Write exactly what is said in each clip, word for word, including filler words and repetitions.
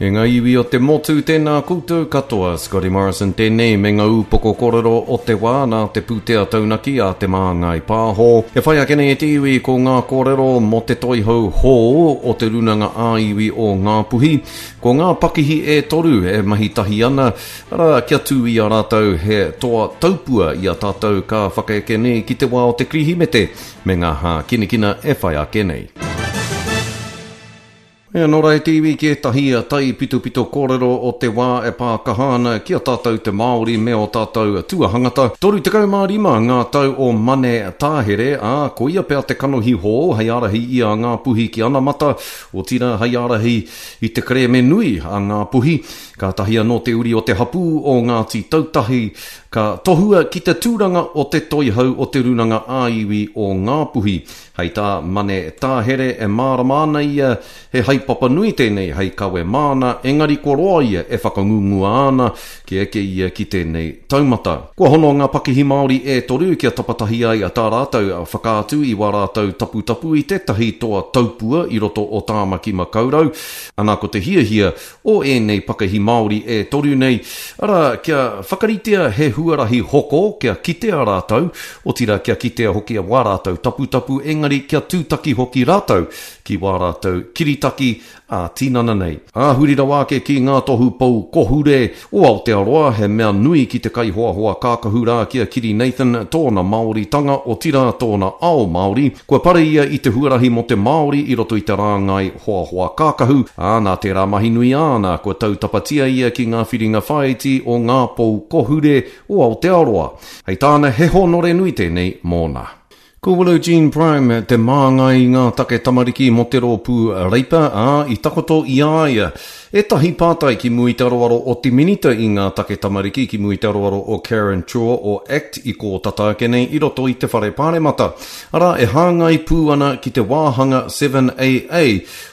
E ngā iwi o te motu, tēnā koutou katoa. Scotty Morrison tēnei me ngā ūpoko kōrero o te wā nā te pūtea taunaki a Te Māngai Pāho. E whai ake nei e te iwi ko ngā kōrero mō te toihau hou o te Rūnanga ā-Iwi o Ngāpuhi. Ko ngā pakihi e toru e mahi tahi ana, arā, kia tū i a rātou he toa taupua i a tātou ka whakaeke nei ki te wā o te Kirihimete me ngā hākinakina e whai ake nei. E anō rā e te iwi ki ētahi taipitopito kōrero o te wā e pā kaha ana ki a tātou te Māori me ō tātou tuahangata. toru tekau mā rima ngā tau o Mane Tāhere, ā, ko ia pea te kanohi hou hei ārahi i a Ngāpuhi ki anamata, otirā hei ārahi i te kerēme nui a Ngāpuhi. Kātahi anō te uri o te hapū o Ngāti Tautahi ka tohua ki te tūranga o te toihau o te Rūnanga ā-Iwi o Ngāpuhi. Hei tā Mane Tāhere e mārama ana ia he haepapa nui tēnei hei kawe māna, engari kua roa ia e whakangungua ana kia eke ia ki tēnei taumata. Kua hono ngā pakihi Māori e toru kia tapatahi ai tā rātou whakaatu i wā rātou taputapu i tētahi toa taupua i roto o Tāmaki Makaurau. Ana ko te hiahia o ēnei pakihi Māori e toru nei, arā, kia whakaritea he huarahi hoko kia kitea rātou, otirā kia kitea hoki wā rātou taputapu, engari kia tūtaki hoki rātou ki wā rātou kiritaki ā-tinana nei. Ā, huri rawa ake ki ngā tohu pou kohure o Aotearoa, he mea nui ki te kaihoahoa kākahu rā ki a Kiri Nathan tōna Māoritanga, otirā tōna ao Māori. Kua pare ia i te huarahi mō te Māori i roto i te rāngai hoahoa kākahu, ā, nā tērā mahi nui āna, kua tautapatia ia ki ngā whiringa whāiti o ngā pou kohure o Aotearoa. Hei tāna, he hōnore nui tēnei mōna. Ko Willow Jean Prime te māngai i ngā take tamariki mō te rōpū Reipa, ā, i takoto i a ia ētahi pātai ki mua i te aroaro o te Minita i ngā take tamariki, ki mua i te aroaro o Karen Chhour o ACT i kō tata ake nei i roto i te Whare Pāremata. Arā, e hāngai pū ana ki te wāhanga seven A A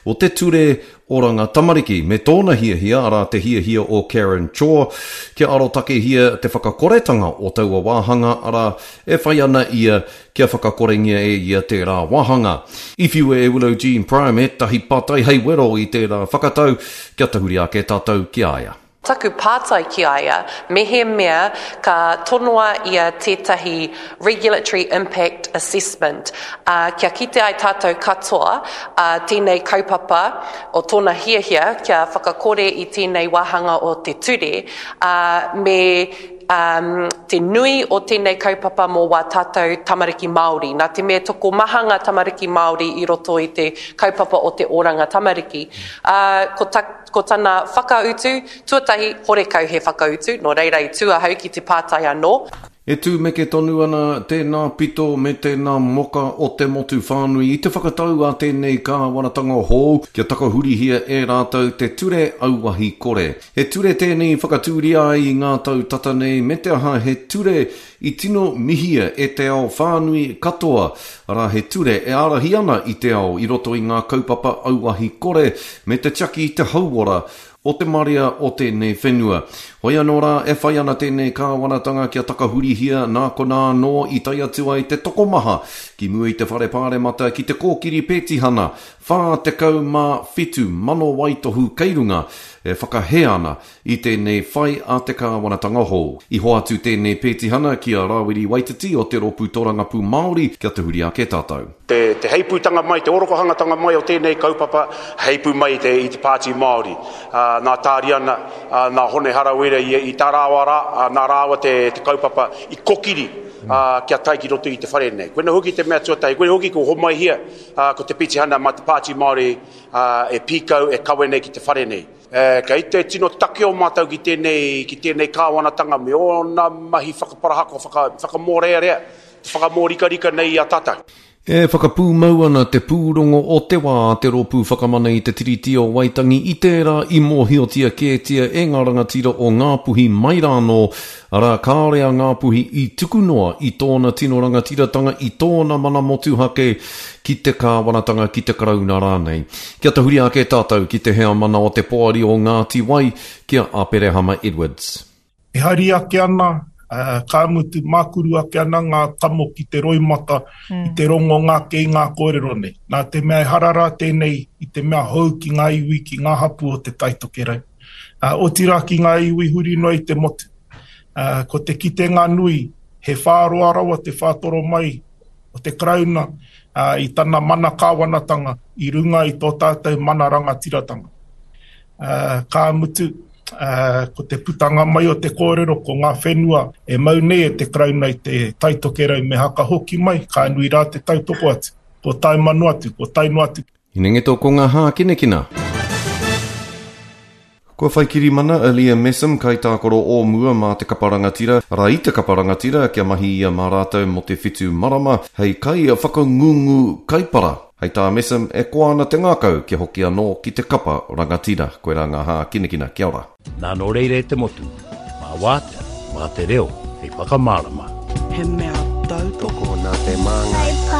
o te Ture Oranga Tamariki, me tōna hiahia, arā te hiahia o Karen Chhour, kia arotakehia te whakakoretanga o taua wāhanga, arā, e whai ana ia kia whakakorengia e ia tērā wāhanga. I whiua e Willow Jean Prime ētahi pātai hei wero i tērā whakatau, kia tahuri ake tātou ki a ia. Taku pātai ki a ia, mehemea ka tonoa ia tētahi Regulatory Impact Assessment, ā, kia kite ai tātou katoa, ā, tēnei kaupapa o tōna hiahia kia whakakore i tēnei wāhanga o te ture, ā, me, um, te nui o tēnei kaupapa mō wā tātou tamariki Māori. Nā te mea tokomaha ngā tamariki Māori i roto i te kaupapa o te oranga tamariki. Ā, ko ta, ko tana whakautu, tuatahi, horekau he whakautu, nō reira i tū ahau ki te pātai anō. E tūmeke tonu ana tēnā pito me tēnā moka o te motu whānui i te whakatau a tēnei kāwanatanga hou kia takahurihia e rātou te ture auahi kore. He ture tēnei whakatūria ai i ngā tau tata nei me te aha he ture i tino mihia e te ao whānui katoa, arā he ture e ārahi ana i te ao i roto i ngā kaupapa auahi kore me te tiaki i te hauora o te marea o tēnei whenua. Hoi anō rā, e whai ana tēnei kāwanatanga kia takahurihia nā konā anō i tae atu ai te tokomaha ki mua i te whare pāremata ki te kōkiri pētihana whā tekau mā whitu mano waitohu kei runga e whakahē ana i tēnei whai a te kāwanatanga hou. I hoatu tēnei pētihana ki a Rāwiri Waititi o te Rōpū Tōrangapū Māori kia tahuri ake tātou. Te, te heipūtanga mai, te orokohangatanga mai o tēnei kaupapa, heipū mai i te, i te Pāti Māori. Uh, nā Tāriana, uh, nā Hone Harawira i, i tā rāua rā, uh, nā rāua te, te kaupapa i kokiri, uh, kia tae ki roto i te whare nei. Koina hoki te mea tuatahi, koina hoki ko homaihia, uh, ko te pitihana mā te Pāti Māori, uh, e pīkau, e kawe nei ki te whare nei. E, kei te tino take o mātou ki tēnei, ki tēnei kāwanatanga me ōna mahi whakaparahako, whaka, whakamōrearea, te whakamōrikarika nei i a tātou. E whakapūmau ana te pūrongo o te wā te rōpū whakamana i te Tiriti o Waitangi i tērā i mōhiotia kētia e ngā rangatira o Ngāpuhi mai rānō, arā kāore a Ngāpuhi i tuku noa i tōna tino rangatiratanga i tōna mana motuhake ki te kāwanatanga ki te Karauna rānei. Kia tahuri ake tātou ki te heamana o te poari o Ngāti Wai, ki a Aperehama Edwards. E hari ake ana, ka mutu mākuru ake ana ngā kamo ki te roimata i te rongonga ake i ngā kōrero nei. Nā te mea ehara rā tēnei i te mea hou ki ngā iwi, ki ngā hapū o Te Tai Tokerau. Uh, otirā ki ngā iwi huri noa i te motu. Uh, ko te kitenga nui, he whāroa rawa te whātoro mai o te Karauna uh, i tana mana kāwanatanga i runga i tō tātou mana rangatiratanga. Uh, ka mutu, uh, ko te putanga mai o te kōrero ko ngā whenua e mau nei e te Karauna i te Tai Tokerau me haka hoki mai, ka nui rā te tautoko atu, ko taima noa atu, ko tae noa atu. Hinengeto ko ngā hākinakina. Kua whai kirimana a Liam Messam kaitākaro o mua mā te kapa rangatira, arā i te kapa rangatira kia mahi ia mā rātou mō te whitu marama hei kai whakangungu kaipara. Hei tā Messam e koa ana te ngākau kia hoki anō ki te kapa rangatira. Koirā ngā hākinakina. Kia ora. Nā nō reira e te motu, mā wātea, mā te reo, hei whakamārama. He mea tautoko Tokona te māngai.